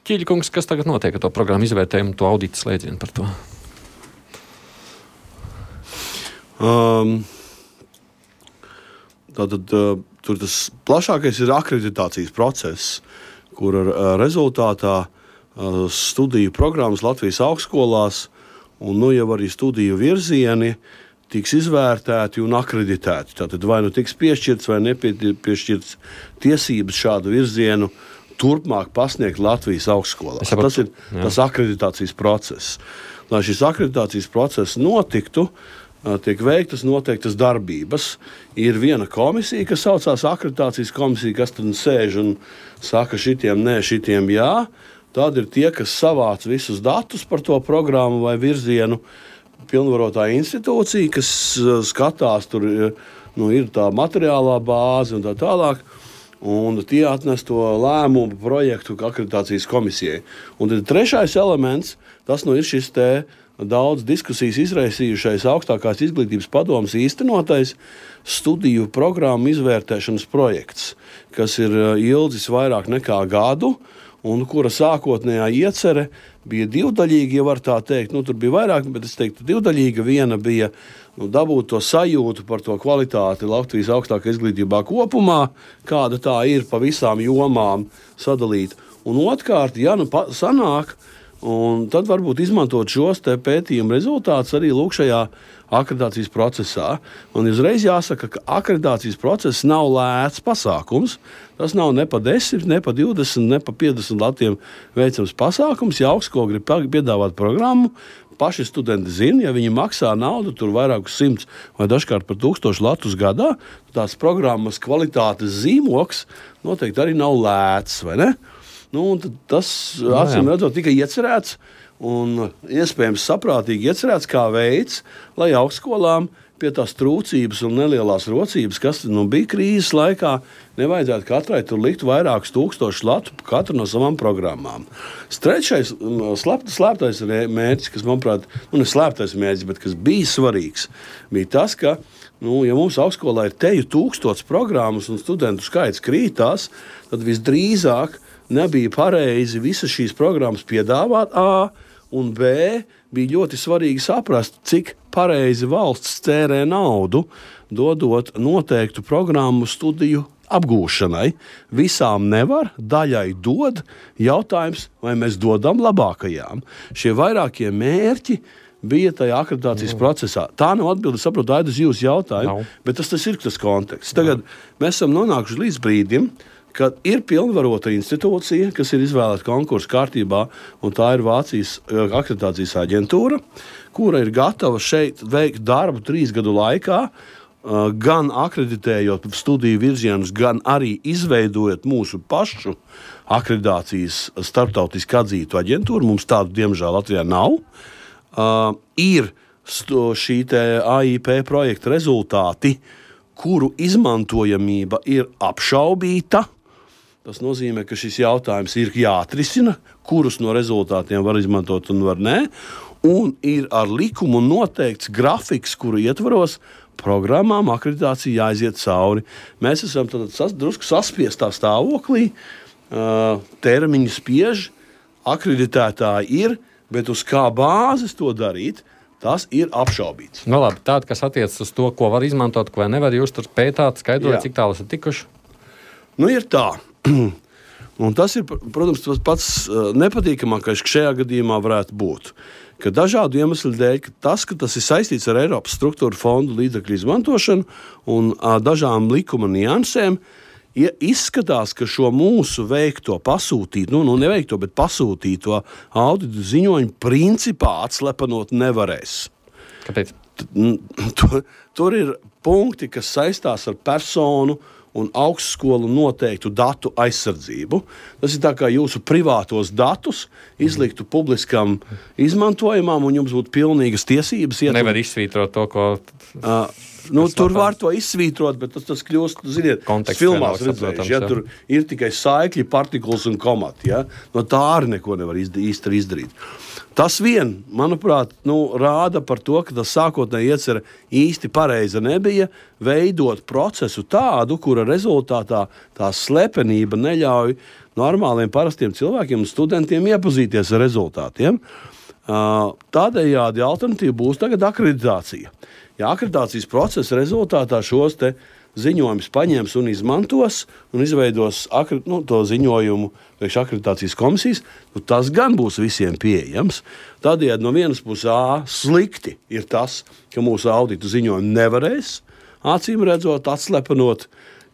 Ķīļkungs, kas tagad notiek ar to programmu izvērtējumu, to audita slēdzienu par to? Tātad tur tas plašākais ir akreditācijas process, kur rezultātā studiju programmas Latvijas augstskolās un jau arī studiju virzieni tiks izvērtēti un akreditēti. Tātad vai nu tiks piešķirts vai nepiešķirts tiesības šādu virzienu turpmāk pasniegt Latvijas augstskolās. Tas ir tas akreditācijas process. Lai šis akreditācijas process notiktu, tiek veiktas noteiktas darbības. Ir viena komisija, kas saucās akreditācijas komisija, kas tad sēž un saka šitiem nē, šitiem jā. Tad ir tie, kas savāc visus datus par to programmu vai virzienu, pilnvarotā institūcija, kas skatās, tur ir tā materiālā bāze un tā tālāk. Un tie atnes to lēmumu projektu akreditācijas komisijai. Un tad trešais elements, tas ir šis te daudz diskusijas izraisījušais augstākās izglītības padomes īstenotais studiju programmu izvērtēšanas projekts, kas ir ilgs vairāk nekā gadu, un kura sākotnējā iecere bija divdaļīga, ja var tā teikt. Tur bija vairāk, bet es teiktu divdaļīga. Viena bija dabūt to sajūtu par to kvalitāti Latvijas augstākā izglītībā kopumā, kāda tā ir pa visām jomām sadalīta. Un otrkārt, sanāk, un tad varbūt izmantot šos pētījumu rezultātus arī šajā akreditācijas procesā. Man uzreiz jāsaka, ka akreditācijas process nav lēts pasākums. Tas nav ne pa 10, ne pa 20, ne pa 50 latiem veicams pasākums. Ja augstskola grib piedāvāt programmu, paši studenti zina, ja viņi maksā naudu, tur vairākus 100 vai dažkārt par 1000 latus gadā, tās programmas kvalitātes zīmoks noteikti arī nav lēts, vai ne? Tas, acīm redzot, tika iecerēts un iespējams saprātīgi iecerēts kā veids, lai augstskolām pie tās trūcības un nelielās rocības, kas bija krīzes laikā, nevajadzētu katrai tur likt vairākus 1000 latu katru no savām programmām. Trešais slēptais mērķis, kas, manuprāt, ne slēptais mērķis, bet kas bija svarīgs, bija tas, ka, ja mums augstskolā ir 1000 programmas un studentu skaits krītās, tad visdrīzāk nebija pareizi visas šīs programmas piedāvāt A, un B bija ļoti svarīgi saprast, cik pareizi valsts tērē naudu, dodot noteiktu programmu studiju apgūšanai. Visām nevar, daļai dod. Jautājums, vai mēs dodam labākajām. Šie vairākie mērķi bija tajā akreditācijas procesā. Tā nav atbilde, saprotu, Aida, uz jūsu jautājumu, bet tas ir tas konteksts. Tagad mēs esam nonākuši līdz brīdim, kad ir pilnvarota institūcija, kas ir izvēlēta konkursu kārtībā, un tā ir Vācijas akreditācijas aģentūra, kura ir gatava šeit veikt darbu 3 gadu laikā, gan akreditējot studiju virzienus, gan arī izveidojot mūsu pašu akreditācijas starptautiski atzītu aģentūru. Mums tādu, diemžēl, Latvijā nav. Ir šī AIP projekta rezultāti, kuru izmantojamība ir apšaubīta. Tas nozīmē, ka šis jautājums ir jāatrisina, kurus no rezultātiem var izmantot un var nē. Un ir ar likumu noteikts grafiks, kuru ietvaros programmām akreditācija jāaiziet cauri. Mēs esam drusku saspiestā stāvoklī, termiņi spiež, akreditētāji ir, bet uz kā bāzes to darīt, tas ir apšaubīts. Labi, tāda, kas attiecas uz to, ko var izmantot, ko nevar, jūs tur pētāt, skaidrojat, cik tālu esat tikuši? Ir tā. Un tas ir, protams, tas pats nepatīkamākais, ka šajā gadījumā varētu būt. Ka dažādu iemeslu dēļ, ka tas ir saistīts ar Eiropas struktūra fondu līdzekļu izmantošanu un dažām likuma niansēm, izskatās, ka šo mūsu veikto pasūtīto, neveikto, bet pasūtīto auditu ziņojumu principā atslepenot nevarēs. Kāpēc? Tur ir punkti, kas saistās ar personu un augstskolu noteiktu datu aizsardzību. Tas ir tā kā jūsu privātos datus izliktu publiskam izmantojumam, un jums būtu pilnīgas tiesības. Nevar izsvītrot to, ko... Tur var to izsvītrot, bet tas kļūst, ziniet, filmās redzējuši. Ja, tur ir tikai saikļi, partikulas un komati. Ja? No tā arī neko nevar īsti izdarīt. Tas vien, manuprāt, rāda par to, ka tas sākotnēji iecerē īsti pareiza nebija veidot procesu tādu, kura rezultātā tā slepenība neļauj normāliem, parastiem cilvēkiem un studentiem iepazīties ar rezultātiem. Tādējādi alternatīva būs tagad akreditācija. Ja akreditācijas procesa rezultātā šos te ziņojumus paņems un izmantos un izveidos to ziņojumu priekš akreditācijas komisijas, tas gan būs visiem pieejams. Tādējādi no vienas puses slikti ir tas, ka mūsu auditu ziņojumu nevarēs, acīm redzot, atslepenot,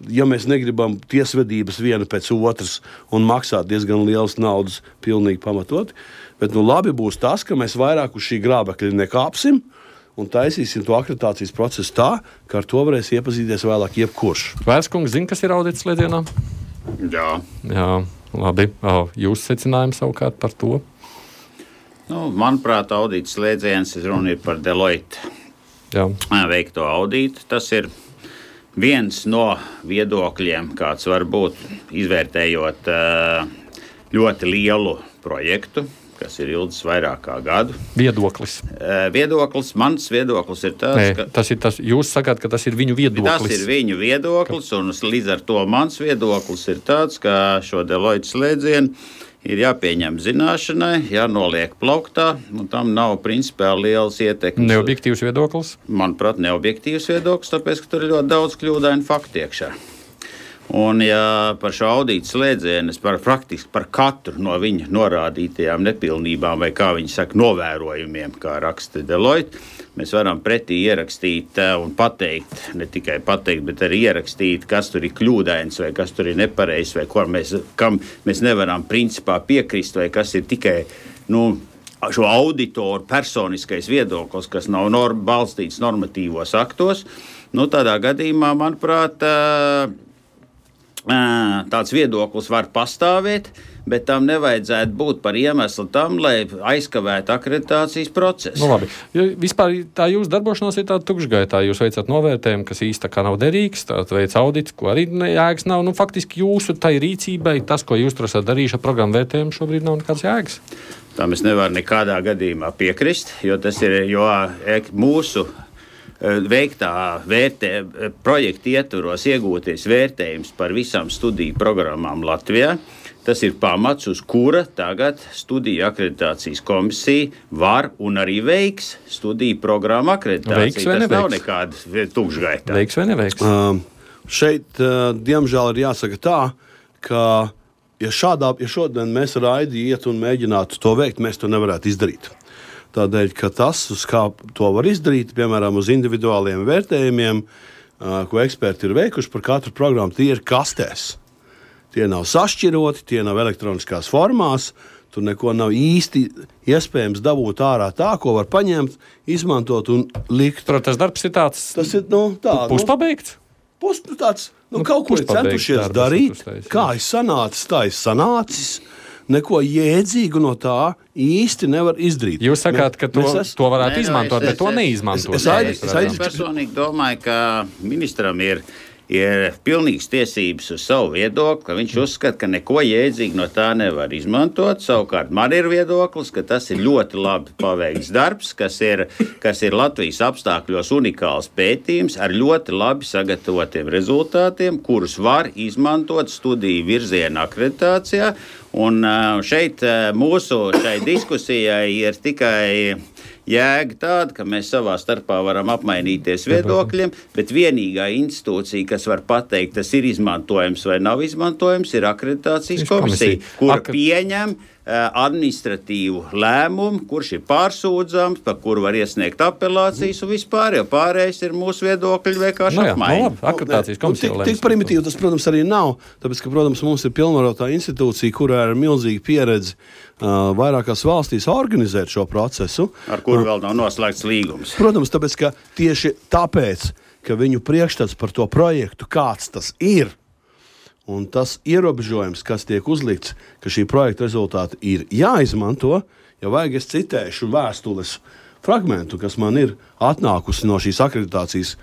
ja mēs negribam tiesvedības viena pēc otras un maksāt diezgan lielas naudas pilnīgi pamatot. Bet labi būs tas, ka mēs vairāk uz šī grābekļa nekāpsim un taisīsim to akreditācijas procesu tā, ka ar to varēs iepazīties vēlāk jebkurš. Vērskungs zina, kas ir audits slēdzienā? Jā, labi. Jūsu secinājums savukārt par to? Manuprāt, audits slēdziens runa ir par Deloitte veikto auditu. Tas ir viens no viedokļiem, kāds var būt izvērtējot ļoti lielu projektu, kas ir ilgs vairāk kā gadu. Viedoklis. Mans viedoklis ir tāds, ka... Tas ir tas, jūs sakāt, ka tas ir viņu viedoklis. Tas ir viņu viedoklis, un līdz ar to mans viedoklis ir tāds, ka šo Deloitte slēdzienu ir jāpieņem zināšanai, jānoliek plauktā, un tam nav principiāli liels ietekmes. Neobjektīvs viedoklis? Manuprāt, neobjektīvs viedoklis, tāpēc, ka tur ir ļoti daudz kļūdainu faktu iekšā. Un, ja par šo audītu slēdzienu, praktiski par katru no viņa norādītajām nepilnībām, vai kā viņi saka, novērojumiem, kā raksta Deloitte, mēs varam pretī ierakstīt un pateikt, ne tikai pateikt, bet arī ierakstīt, kas tur ir kļūdains, vai kas tur ir nepareizs, vai kam mēs nevaram principā piekrist, vai kas ir tikai, šo auditoru personiskais viedoklis, kas nav balstīts normatīvos aktos. Tādā gadījumā, manuprāt, tāds viedoklis var pastāvēt, bet tam nevajadzētu būt par iemeslu tam, lai aizkavētu akreditācijas procesu. Labi. Vispār tā jūsu darbošanās ir tāda tukšgaitā. Jūs veicat novērtējumu, kas īsti tā kā nav derīgs, tāds veids audits, ko arī jēgas nav. Faktiski jūsu tai rīcībai, tas, ko jūs tur esat darījuši ar programmu vērtējumu, šobrīd nav nekāds jēgas. Tam es nevaru nekādā gadījumā piekrist, jo tas ir mūsu veiktā projekta ietvaros iegūties vērtējums par visām studiju programmām Latvijā. Tas ir pamats, uz kura tagad studiju akreditācijas komisija var un arī veiks studiju programmu akreditāciju. Tas nav nekāda tukšgaitā. Veiks vai neveiks? Šeit, diemžēl, ir jāsaka tā, ka ja šodien mēs raidi iet un mēģinātu to veikt, mēs to nevarētu izdarīt. Tādēļ, ka tas, uz kā to var izdarīt, piemēram, uz individuāliem vērtējumiem, ko eksperti ir veikuši par katru programmu, tie ir kastēs. Tie nav sašķiroti, tie nav elektroniskās formās, tur neko nav īsti iespējams dabūt ārā tā, ko var paņemt, izmantot un likt. Tas darbs ir tāds, tas ir, puspabeigts? Tāds, kaut ko ir centušies darīt, kā ir sanācis, tā ir sanācis. Neko jēdzīgu no tā īsti nevar izdarīt. Jūs sakāt, ka to varētu izmantot, bet to neizmantot. Es personīgi domāju, ka ministram ir pilnīgas tiesības uz savu viedokli, ka viņš uzskata, ka neko jēdzīgi no tā nevar izmantot. Savukārt man ir viedoklis, ka tas ir ļoti labi paveikts darbs, kas ir Latvijas apstākļos unikāls pētījums ar ļoti labi sagatavotiem rezultātiem, kurus var izmantot studiju virziena akreditācijā. Un šeit mūsu šai diskusijai ir tikai jēga tāda, ka mēs savā starpā varam apmainīties viedokļiem, bet vienīgā institūcija, kas var pateikt, tas ir izmantojams vai nav izmantojams, ir akreditācijas komisija, kura pieņem administratīvu lēmumu, kurš ir pārsūdzams, par kuru var iesniegt apelācijas un vispār, jo pārējais ir mūsu viedokļi vienkārši apmaiņa. Akreditācijas komisija tik primitīvi tas, protams, arī nav, tāpēc, ka, protams, mums ir pilnvarotā institūcija, kurā ir milzīga pieredze vairākās valstīs organizēt šo procesu. Ar kuru vēl nav noslēgts līgums. Protams, tāpēc, ka tieši tāpēc, ka viņu priekšstats par to projektu, kāds tas ir, un tas ierobežojums, kas tiek uzlikts, ka šī projekta rezultāti ir jāizmanto, ja vajag, es citēšu vēstules fragmentu, kas man ir atnākusi no šīs akreditācijas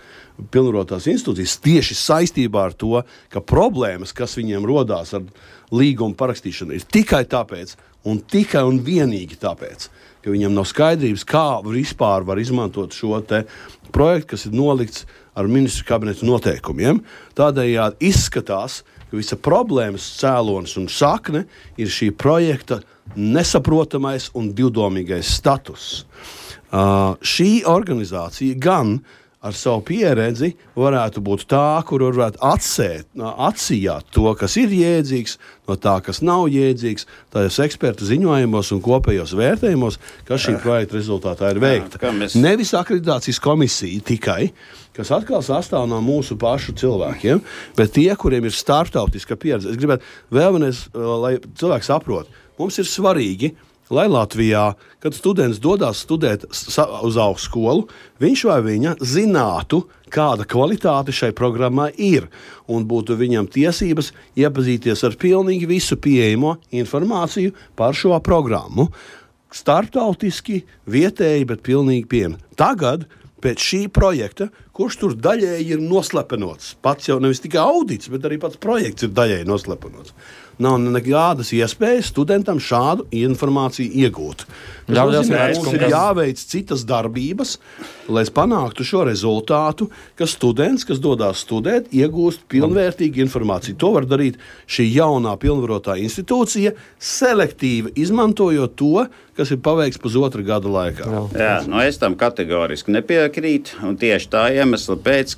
pilnvarotās institūcijas, tieši saistībā ar to, ka problēmas, kas viņiem rodās ar līgumu parakstīšanu, ir tikai tāpēc, un tikai un vienīgi tāpēc, ka viņam nav skaidrības, kā vispār var izmantot šo te projektu, kas ir nolikts ar ministru kabineta noteikumiem. Tādējādi izskatās, ka visa problēmas cēlonis un sakne ir šī projekta nesaprotamais un divdomīgais status. Šī organizācija gan ar savu pieredzi varētu būt tā, kur varētu atsijāt to, kas ir jēdzīgs, no tā, kas nav jēdzīgs, tajos ekspertu ziņojumos un kopējos vērtējumos, kas šī projekta rezultātā ir veikta. Nevis akreditācijas komisija tikai, kas atkal sastāv no mūsu pašu cilvēkiem, bet tie, kuriem ir starptautiska pieredze. Es gribētu vēlreiz, lai cilvēki saprot, mums ir svarīgi, lai Latvijā, kad students dodas studēt uz augstskolu, viņš vai viņa zinātu, kāda kvalitāte šai programmā ir, un būtu viņam tiesības iepazīties ar pilnīgi visu pieejamo informāciju par šo programmu. Starptautiski, vietēji, bet pilnīgi pieejami. Tagad, pēc šī projekta, kurš tur daļēji ir noslepenots, pats jau nevis tikai audits, bet arī pats projekts ir daļēji noslepenots. Nav nekādas iespējas studentam šādu informāciju iegūt. Mums ir jāveic citas darbības, lai panāktu šo rezultātu, ka students, kas dodas studēt, iegūst pilnvērtīgu informāciju. To var darīt šī jaunā pilnvarotā institūcija, selektīvi izmantojot to, kas ir paveikts pusotru gada laikā. Jā, es tam kategoriski nepiekrītu, un tieši tā iemesla pēc,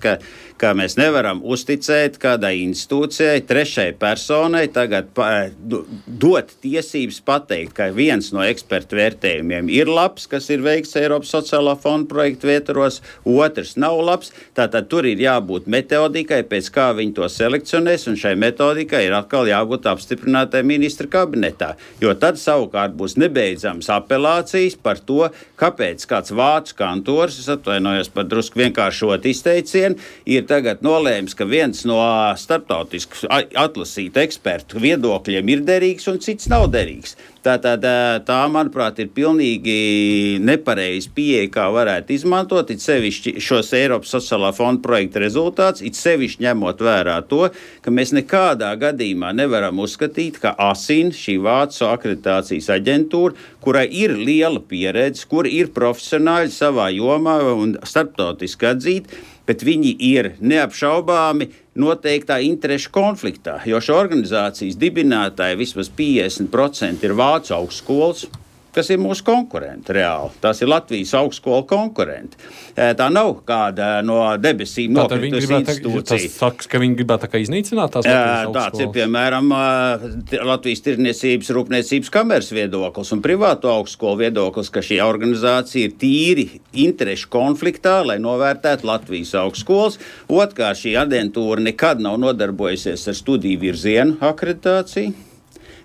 ka mēs nevaram uzticēt kādai institūcijai, trešai personai tagad dot tiesības pateikt, ka viens no ekspertu vērtējumiem ir labs, kas ir veikts Eiropas sociālā fonda projektu ietvaros, otrs nav labs. Tātad tur ir jābūt metodikai, pēc kā viņi to selekcionēs, un šai metodikai ir atkal jābūt apstiprinātai ministra kabinetā. Jo tad savukārt būs nebeidzams apelācijas par to, kāpēc kāds vācu kantors, es atvainojos par drusku vienkāršot izteicienu, ir tagad nolēms, ka viens no starptautisku atlasītu ekspertu viedokļiem ir derīgs un cits nav derīgs. Tā, manuprāt, ir pilnīgi nepareizi pieeja, kā varētu izmantot, it sevišķi šos Eiropas sociālā fonda projekta rezultāts, it sevišķi ņemot vērā to, ka mēs nekādā gadījumā nevaram uzskatīt, ka ASIN, šī Vācu akreditācijas aģentūra, kurai ir liela pieredze, kur ir profesionāļi savā jomā un starptautiski atzīti, bet viņi ir neapšaubāmi noteiktā interešu konfliktā, jo šo organizācijas dibinātāji vismaz 50% ir Vācu augstskolas, kas ir mūsu konkurenti reāli. Tās ir Latvijas augstskola konkurenti. Tā nav kāda no debesīm nokritusi institūcija. Tas saka, ka viņi gribētu tā kā iznīcināt tās Latvijas augstskolas? Tāds ir, piemēram, Latvijas Tirdzniecības rūpniecības kameras viedoklis un privāto augstskolu viedoklis, ka šī organizācija ir tīri interešu konfliktā, lai novērtētu Latvijas augstskolas. Otrkārt, šī aģentūra nekad nav nodarbojusies ar studiju virzienu akreditāciju.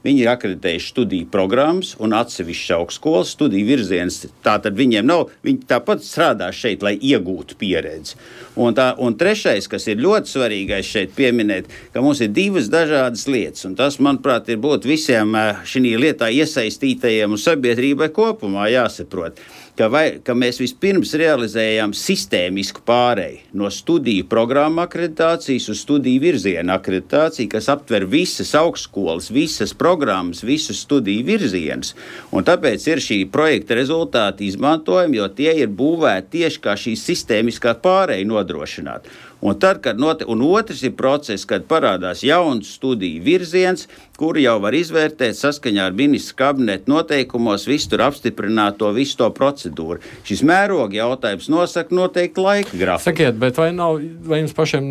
Viņi ir akreditējuši studiju programmas un atsevišķas augstskolas studiju virzienas. Tātad viņiem nav, viņi tāpat strādā šeit, lai iegūtu pieredzi. Un trešais, kas ir ļoti svarīgais šeit pieminēt, ka mums ir divas dažādas lietas. Un tas, manuprāt, ir būt visiem šī lietā iesaistītajiem un sabiedrībai kopumā jāsaprot. Ka mēs vispirms realizējam sistēmisku pāreju no studiju programmu akreditācijas uz studiju virzienu akreditāciju, kas aptver visas augstskolas, visas programmas, visus studiju virzienus. Un tāpēc ir šī projekta rezultāti izmantojami, jo tie ir būvēti tieši kā šī sistēmiskā pāreja nodrošināt. Un tad, un otrs ir process, kad parādās jauns studiju virziens, kuru jau var izvērtēt saskaņā ar ministra kabineta noteikumos, visu tur apstiprināto, visu to procedūru. Šis mēroga jautājums nosaka noteikti laika grafiku. Sakiet, bet vai jums pašiem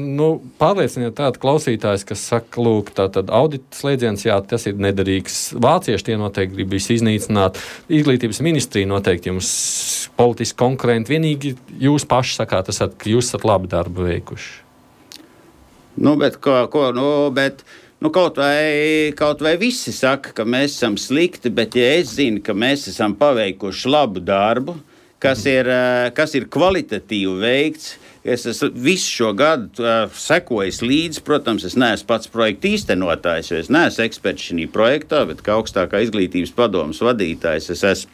pārlieciniet tādu klausītājs, kas saka, lūk, tātad audita slēdziens, jā, tas ir nederīgs. Vācieši tie noteikti gribīs iznīcināt. Izglītības ministrija noteikti jums politiski konkurenti. Vienīgi jūs paši sakāt, ka jūs esat labi darbu veikuši. Kaut vai visi saka, ka mēs esam slikti, bet ja es zinu, ka mēs esam paveikuši labu darbu, kas ir kvalitatīvi veikts, es esmu visu šo gadu sekojis līdzi, protams, es neesmu pats projekta īstenotājs, jo es neesmu eksperts šī projektā, bet kā augstākā izglītības padomes vadītājs, es esmu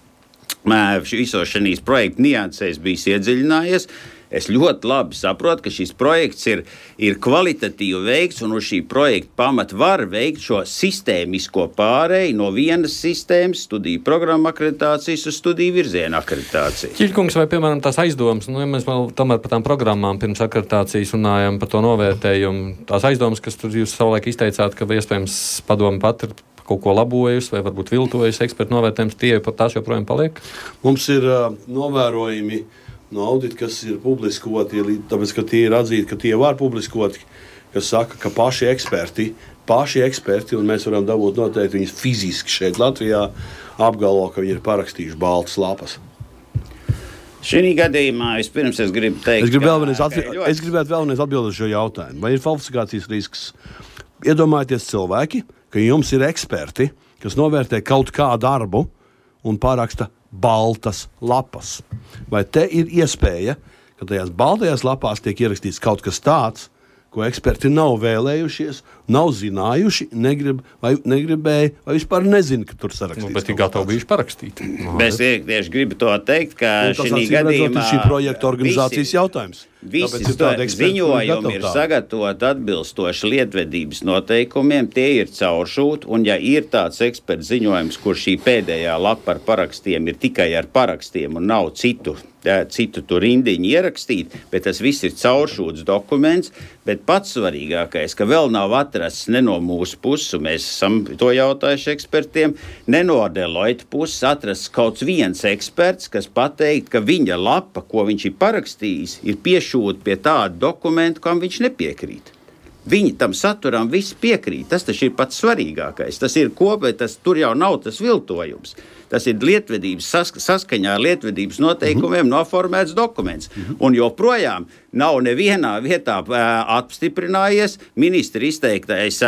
visos šīs projekta niansēs bijis iedziļinājies. Es ļoti labi saprotu, ka šis projekts ir kvalitatīvi veikts, un uz šī projekta pamata var veikt šo sistēmisko pārēju no vienas sistēmas, studiju programmu akreditācijas uz studiju virzienu akreditāciju. Ķiļkungs, vai, piemēram, tās aizdomas, ja mēs vēl tomēr par tām programmām pirms akreditācijas runājam par to novērtējumu, tās aizdomas, kas tur jūs savulaik izteicāt, ka iespējams padomi pat ir kaut ko labojusi vai varbūt viltojusi ekspertu novērtējums, tās joprojām paliek? Mums ir novērojumi no audita, kas ir publiskoti, tāpēc, ka tie ir atzīti, ka tie var publiskoti, kas saka, ka paši eksperti, un mēs varam dabūt noteikti viņus fiziski šeit Latvijā, apgalvo, ka viņi ir parakstījuši baltas lapas. Šī gadījumā vispirms es gribu teikt, es gribētu vēlreiz atbildēt šo jautājumu. Vai ir falsifikācijas risks? Iedomājieties cilvēki, ka jums ir eksperti, kas novērtē kaut kādu darbu un paraksta baltas lapas. Vai te ir iespēja, ka tajās baltajās lapās tiek ierakstīts kaut kas tāds, ko eksperti nav vēlējušies, nav zinājuši, negribēja vai vispār nezina, ka tur sarakstīts. Bet ir gatavi bijuši parakstīt. Es tieši gribu to teikt, ka šī gadījumā šī projekta organizācijas jautājums. Visi ziņojumi ir sagatavoti atbilstoši lietvedības noteikumiem, tie ir cauršūti, un ja ir tāds eksperts ziņojums, kur šī pēdējā lapa ar parakstiem ir tikai ar parakstiem un nav citu tur rindiņu ierakstīt, bet tas viss ir cauršūts dokuments, bet pats svarīgākais, ka vēl nav atrasts ne no mūsu puses, un mēs esam to jautājuši ekspertiem, ne no Deloitte puses atrasts kaut viens eksperts, kas pateikt, ka viņa lapa, ko viņš ir parakstījis, ir piešūt pie tāda dokumenta, kam viņš nepiekrīt. Viņi tam saturam visi piekrīt. Tas taču ir pats svarīgākais. Tas ir tur jau nav tas viltojums. Tas ir lietvedības saskaņā ar lietvedības noteikumiem noformēts dokuments. Un joprojām nav nevienā vietā apstiprinājies ministra izteiktais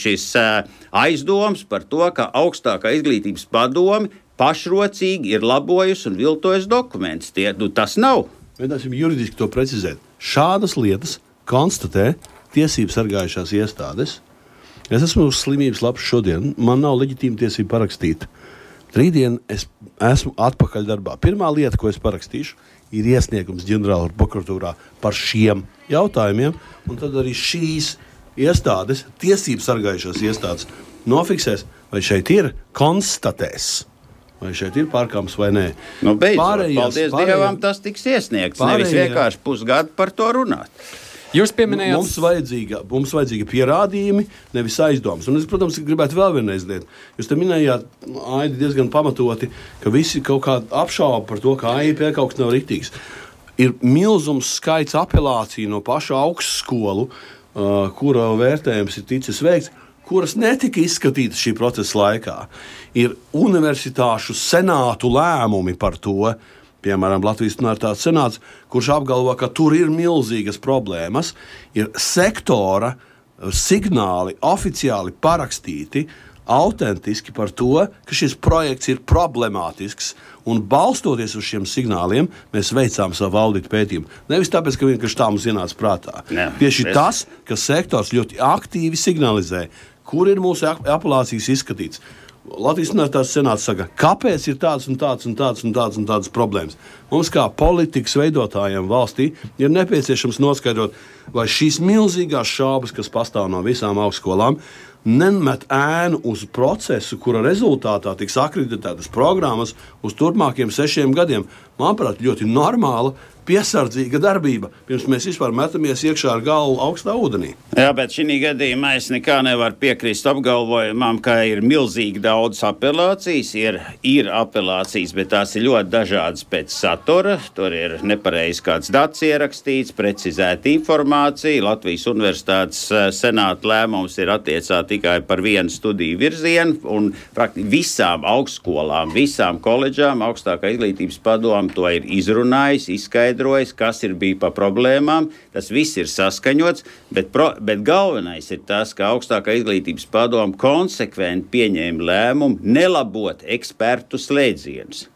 šis aizdoms par to, ka augstākā izglītības padome pašrocīgi ir labojusi un viltojusi dokumentus. Tas nav. Mēģināsim juridiski to precizēt. Šādas lietas konstatē tiesību sargājušās iestādes. Es esmu uz slimības lapas šodien, man nav leģitīma tiesība parakstīt. Rītdien es esmu atpakaļ darbā. Pirmā lieta, ko es parakstīšu, ir iesniegums ģenerāla prokuratūrā par šiem jautājumiem, un tad arī šīs iestādes, tiesību sargājušās iestādes, nofiksēs, vai šeit ir konstatēs. Vai šeit ir pārkāpums vai nē. Paldies Dievam, tas tiks iesniegts. Nevis vienkārši pusgadu par to runāt. Jūs pieminējāt, mums vajadzīga pierādījumi, nevis aizdomas. Un es, protams, gribētu vēl vienreiz liet. Jūs te minējāt, Aidi, diezgan pamatoti, ka visi kaut kā apšauba par to, ka AIP kaut kas nav riktīgs. Ir milzums skaits apelāciju no pašu augstskolu, kura vērtējums ir ticis veikts, kuras netika izskatītas šī procesa laikā. Ir universitāšu senātu lēmumi par to, piemēram, Latvijas Universitātes senāts, kurš apgalvo, ka tur ir milzīgas problēmas, ir sektora signāli oficiāli parakstīti, autentiski par to, ka šis projekts ir problemātisks, un balstoties uz šiem signāliem, mēs veicām savu audita pētījumu. Nevis tāpēc, ka vienkārši tā mums ienāca prātā. Tieši tas, ka sektors ļoti aktīvi signalizē, kur ir mūsu apelācijas izskatīts. Latvijas Universitātes senāts saka, kāpēc ir tādas problēmas. Mums kā politikas veidotājiem valstī ir nepieciešams noskaidrot, vai šīs milzīgās šaubas, kas pastāv no visām augstskolām, nemet ēnu uz procesu, kura rezultātā tiks akreditētas programmas uz turpmākiem 6 gadiem. Manuprāt, ļoti normāla, piesardzīga darbība, pirms mēs vispār metamies iekšā ar galvu augstā ūdenī. Jā, bet šī gadījumā es nekā nevaru piekrist apgalvojumam, ka ir milzīgi daudz apelācijas. Ir apelācijas, bet tās ir ļoti dažādas pēc satura. Tur ir nepareizi kāds dats ierakstīts, precizēta informācija. Latvijas Universitātes senāta lēmums ir attiecā tikai par vienu studiju virzienu, un praktiski visām augstskolām, visām koledžām augstākā izglītības padome to ir izrunājis, izskaidrojis, kas ir bija pa problēmām. Tas viss ir saskaņots, bet galvenais ir tas, ka augstākā izglītības padome konsekventi pieņēma lēmumu nelabot ekspertu slēdzienus.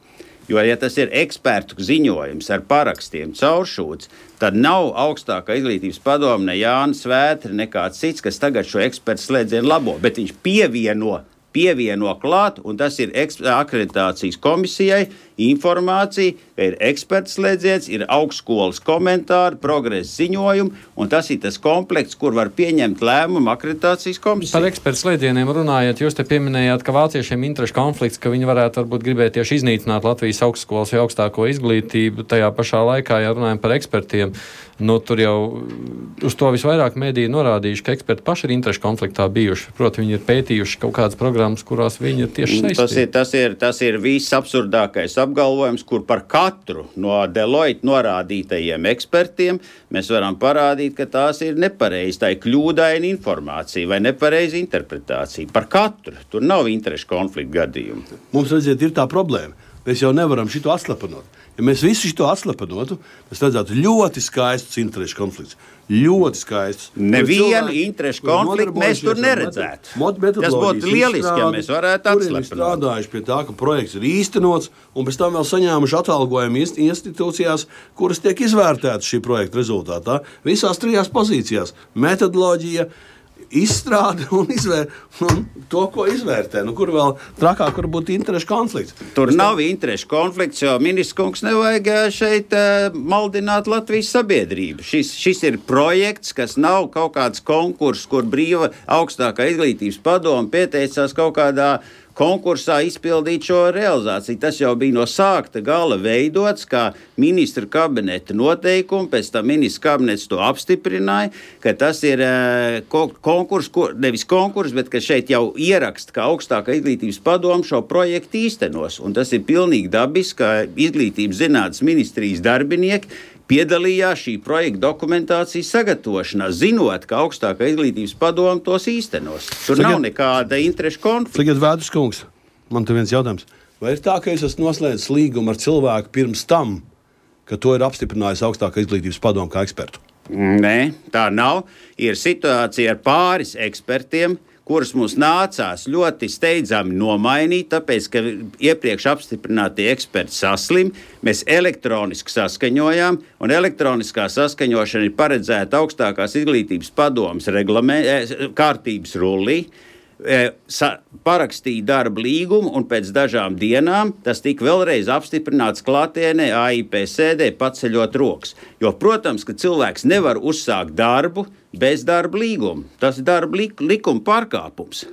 Jo, ja tas ir ekspertu ziņojums ar parakstiem cauršūts, tad nav augstākā izglītības padome ne Jānis Vētra, nekāds cits, kas tagad šo ekspertu slēdzienu labo, bet viņš pievieno pievieno klāt, un tas ir akreditācijas komisijai informācija, ka ir eksperts slēdziens, ir augstskolas komentāri, progresa ziņojumi, un tas ir tas komplekts, kur var pieņemt lēmumu akreditācijas komisija. Par ekspertu slēdzieniem runājot, jūs te pieminējāt, ka vāciešiem interešu konflikts, ka viņi varētu varbūt gribēt tieši iznīcināt Latvijas augstskolas vai augstāko izglītību, tajā pašā laikā, ja runājam par ekspertiem, tur jau uz to visvairāk mediji norādījuši, ka eksperti paši ir interešu konfliktā bijuši. Proti, viņi ir pētījuši kaut kādas programmas, kurās viņi ir tieši saistīti. Tas ir viss absurdākais apgalvojums, kur par katru no Deloitte norādītajiem ekspertiem mēs varam parādīt, ka tās ir nepareizi, tā ir kļūdaina informācija vai nepareiza interpretācija. Par katru. Tur nav interešu konflikta gadījumu. Mums, redziet, ir tā problēma. Mēs jau nevaram šito atslapanot. Ja mēs visu šo atslapanotu, mēs redzētu ļoti skaistus interešu konfliktus. Ļoti skaistus. Nevienu interešu konfliktu mēs tur neredzētu. Tas būtu lieliski, ja mēs varētu atslapanot. Tur ir strādājuši pie tā, ka projekts ir īstenots, un pēc tam vēl saņēmuši atalgojumu institūcijās, kuras tiek izvērtētas šī projekta rezultātā. Visās 3 pozīcijās - metodoloģija, izstrāde un to, ko izvērtē. Kur vēl trakāk var būt interešu konflikts? Tur nav interešu konflikts, jo ministrs kungs nevajag šeit maldināt Latvijas sabiedrību. Šis ir projekts, kas nav kaut kāds konkurss, kur brīva augstākā izglītības padome pieteicās kaut kādā konkursā izpildīt šo realizāciju. Tas jau bija no sākta gala veidots kā ministra kabineta noteikumi, pēc tam ministra kabinets to apstiprināja, ka tas ir konkurss, nevis konkurss, bet ka šeit jau ieraksta, ka augstākā izglītības padome šo projektu īstenos. Un tas ir pilnīgi dabiski, ka izglītības zinātnes ministrijas darbinieki piedalījās šī projekta dokumentācijas sagatavošanā, zinot, ka augstākā izglītības padome tos īstenos. Tur nav nekāda interešu konflikta. Tagad Vēders kungs, man te viens jautājums. Vai ir tā, ka es esmu noslēdzis līgumu ar cilvēku pirms tam, ka to ir apstiprinājis augstākā izglītības padome kā ekspertu? Nē, tā nav. Ir situācija ar pāris ekspertiem, kurus mums nācās ļoti steidzami nomainīt, tāpēc, ka iepriekš apstiprinātie eksperti saslim, mēs elektroniski saskaņojām, un elektroniskā saskaņošana ir paredzēta augstākās izglītības padomes kārtības rullī, parakstīja darba līgumu, un pēc dažām dienām tas tika vēlreiz apstiprināts klātienē AIP sēdē paceļot rokas. Jo, protams, ka cilvēks nevar uzsākt darbu bez darba līguma. Tas ir darba likuma pārkāpums.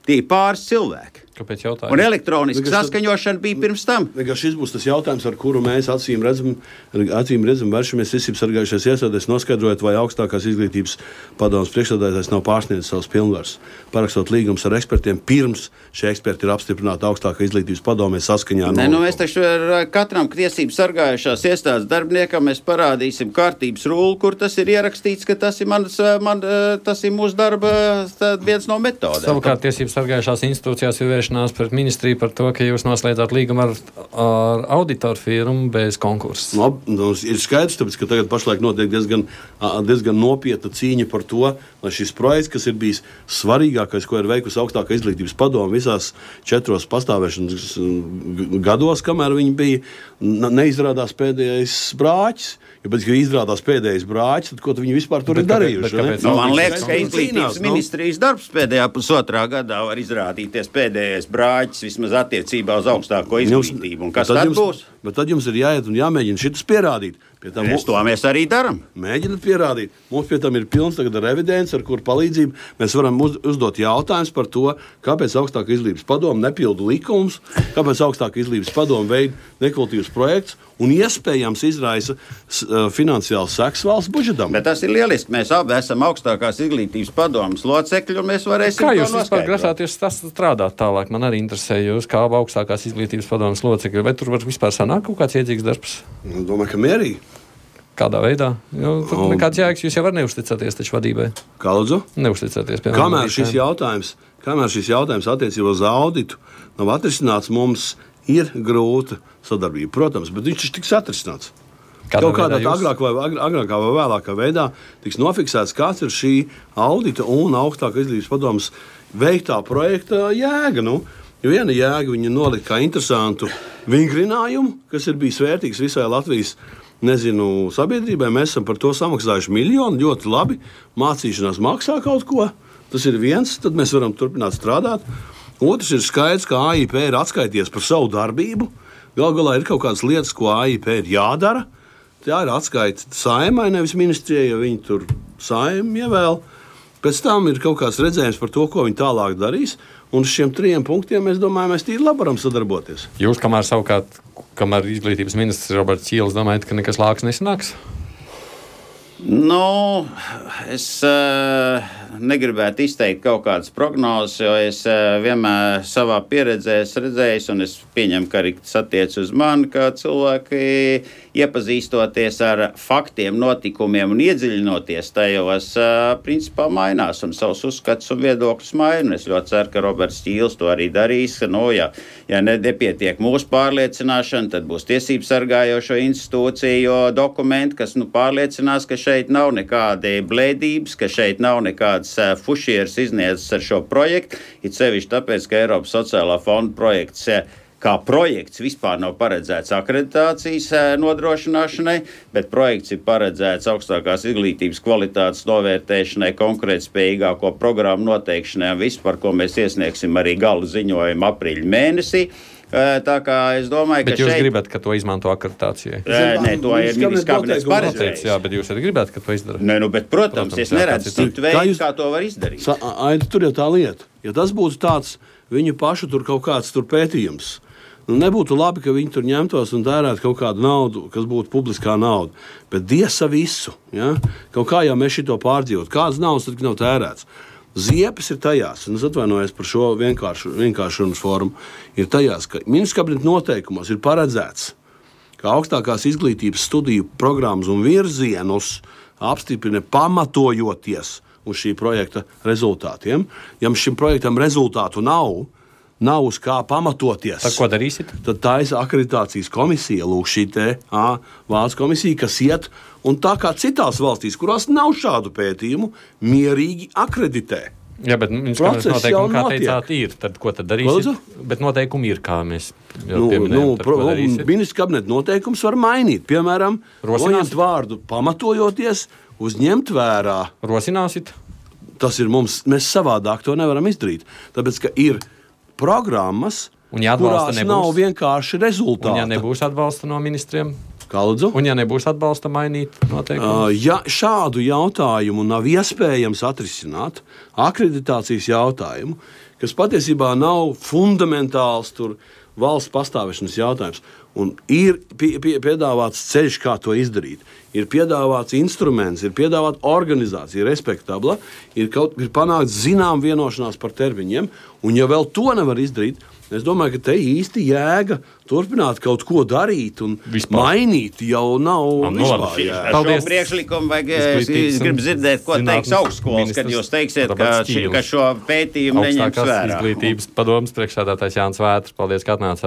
Tie ir pāris cilvēki. Kāpēc jautājums? Un elektroniska saskaņošana bija pirms tam. Šis būs tas jautājums, ar kuru mēs acīm redzam vēršamies tiesības sargājušās iestādēs, noskaidrojot, vai augstākās izglītības padomes priekšsēdētājs nav pārsniedzis savas pilnvaras, parakstot līgumus ar ekspertiem, pirms šie eksperti ir apstiprināti augstākā izglītības padomē saskaņā. Mēs taču katram tiesības sargājušās iestādes darbiniekam mēs parādīsim kārtības rulli, kur tas ir ierakstīts, ka tas ir, tas ir mūsu darba viens no metodēm. Savukārt tiesības sargājušās institūcijās ir pret ministriju par to, ka jūs noslēdzāt līgumu ar auditoru firmu bez konkursa. Ir skaidrs, tāpēc, ka tagad pašlaik notiek diezgan nopietna cīņa par to, lai šis projekts, kas ir bijis svarīgākais, ko ir veikusi augstākā izglītības padome visās 4 pastāvēšanas gados, kamēr viņi bija, neizrādās pēdējais brāķis. Ja pēc tam izrādās pēdējais brāķis, tad ko viņi vispār tur ir darījuši? Man liekas, ka izglītības ministrijas darbs pēdējā pusotrā gadā var izrādīties pēdējais brāķis vismaz attiecībā uz augstāko izglītību. Un kas tad būs? Bet tad jums ir jāiet un jāmēģina šitas pierādīt. Mēs arī darām. Mēģināt pierādīt. Mums pie tam ir pilns tagad ar evidenci, ar kuru palīdzību mēs varam uzdot jautājumus par to, kāpēc augstākā izglītības padome nepilda likumus, kāpēc augstākā izglītības padome veid nekvalitīvus projektus un iespējams izraisa finansiāls seks valsts budžetam. Bet tas ir lieliski. Mēs abi esam augstākās izglītības padomes locekļi, un mēs varēsim Kā jūs vispār grasāties strādāt tālāk? Man arī interesē jūs, kā augstākās izglītības padomes locekļi. Vai tur var vispār sanākt kaut kāds iedzīgs darbs? Domāju, ka mierīgi. Kādā veidā? Tur nekāds jēgas, jūs jau var neusticaties taču vadībai. Kā lūdzu? Neusticaties. Kamēr šis jautājums attiecībā uz auditu nav atrisināts, mums ir grūta sadarbība. Protams, bet viņš tiks atrisināts. Kaut kādā agrākā vai vēlākā veidā tiks nofiksēts, kāds ir šī audita un augstākā izglītības padomes veiktā projekta jēga. Jo viena jēga viņa nolika kā interesantu vingrinājumu, kas ir bijis vērtīgs visai Latvijas sabiedrībai. Mēs esam par to samaksājuši miljonu, ļoti labi. Mācīšanās maksā kaut ko. Tas ir viens, tad mēs varam turpināt strādāt. Otrs ir skaidrs, ka AIP ir atskaities par savu darbību. Galu galā ir kaut kādas lietas, ko AIP ir jādara. Tā ir atskaita Saeimai, nevis ministrijai, jo viņi tur Saeimu ievēl. Pēc tam ir kaut kāds redzējums par to, ko viņi tālāk darīs. Un uz šiem 3 punktiem, es domāju, mēs tīri labi varam sadarboties. Jūs, kamēr izglītības ministrs Roberts Ķīlis, domājat, ka nekas lāks nesanāks? Nu, es negribētu izteikt kaut kādas prognozes, jo es vienmēr savā pieredzē redzēju, un es pieņemu, ka arī tas attiec uz mani, ka cilvēki iepazīstoties ar faktiem, notikumiem un iedziļinoties tajos, principā mainās un savus uzskatus un viedokļus maina. Es ļoti ceru, ka Roberts Ķīlis to arī darīs. Ja nepietiek mūsu pārliecināšana, tad būs tiesību sargājošo institūciju dokumenti, kas pārliecinās, ka šeit nav nekādi blēdības, ka šeit nav nekādas fušieras izniedzas ar šo projektu. It sevišķi tāpēc, ka Eiropas sociālā fonda projekts kā projekts vispār nav paredzēts akreditācijas nodrošināšanai, bet projekts ir paredzēts augstākās izglītības kvalitātes novērtēšanai, konkurētspējīgāko programmu noteikšanai un visu, par ko mēs iesniegsim arī gala ziņojumu aprīļa mēnesī. Tā kā es domāju, bet ka jūs gribat, ka to izmanto akreditācijai? Nē, to ir ministrs kabinets paredzējis. Jā, bet jūs arī gribat, ka to izdara? Nē, bet, protams, es neredzu citu veidu, kā to var izdarīt. Tur jau tā lieta. Ja tas būtu tāds viņu pašu tur kaut kāds tur pētījums, nebūtu labi, ka viņi tur ņemtos un tērētu kaut kādu naudu, kas būtu publiskā nauda. Bet diesa visu. Ja? Kaut kā jau mēs šito pārdzīvot. Kādas naudas tad nav tērēts? Ziepes ir tajās, un es atvainojos par šo vienkāršunas formu, ir tajās, ka ministrs kabineta noteikumos ir paredzēts, ka augstākās izglītības studiju programmas un virzienus apstiprina pamatojoties uz šī projekta rezultātiem. Ja šim projektam rezultātu nav uz kā pamatoties. Tad ko darīsit? Tad tā ir akreditācijas komisija, lūk, šī valsts komisija, kas iet un tā kā citās valstīs, kurās nav šādu pētījumu, mierīgi akreditē. Jā, bet noteikumi, kā teicāt, ir. Tad ko tad darīsit? Bet noteikumi ir, kā mēs jau pieminējām. Ministrs kabineta noteikums var mainīt. Piemēram, noņemt vārdu pamatojoties, uzņemt vērā. Rosināsit? Tas ir mēs savādāk to nevaram izdarīt. Tāpēc, ka ir programmas, kurās nav vienkārši rezultāti. Un ja nebūs atbalsta no ministriem? Kā lūdzu? Un ja nebūs atbalsta mainīt noteikumus? Ja šādu jautājumu nav iespējams atrisināt, akreditācijas jautājumu, kas patiesībā nav fundamentāls valsts pastāvēšanas jautājums, un ir piedāvāts ceļš, kā to izdarīt, ir piedāvāts instruments, ir piedāvāta organizācija, respektabla, ir panākt zinām vienošanās par termiņiem, un ja vēl to nevar izdarīt, es domāju, ka te īsti jēga turpināt kaut ko darīt un mainīt jau nav vispār jēga. Ar šo priekšlikumu vajag, es gribu dzirdēt, ko teiks augstskolas, kad jūs teiksiet, ka šo pētījumu neņems vērā. Izglītības padomes priekšsēdētājs Jānis Vētrs. Paldies, ka atnācāt.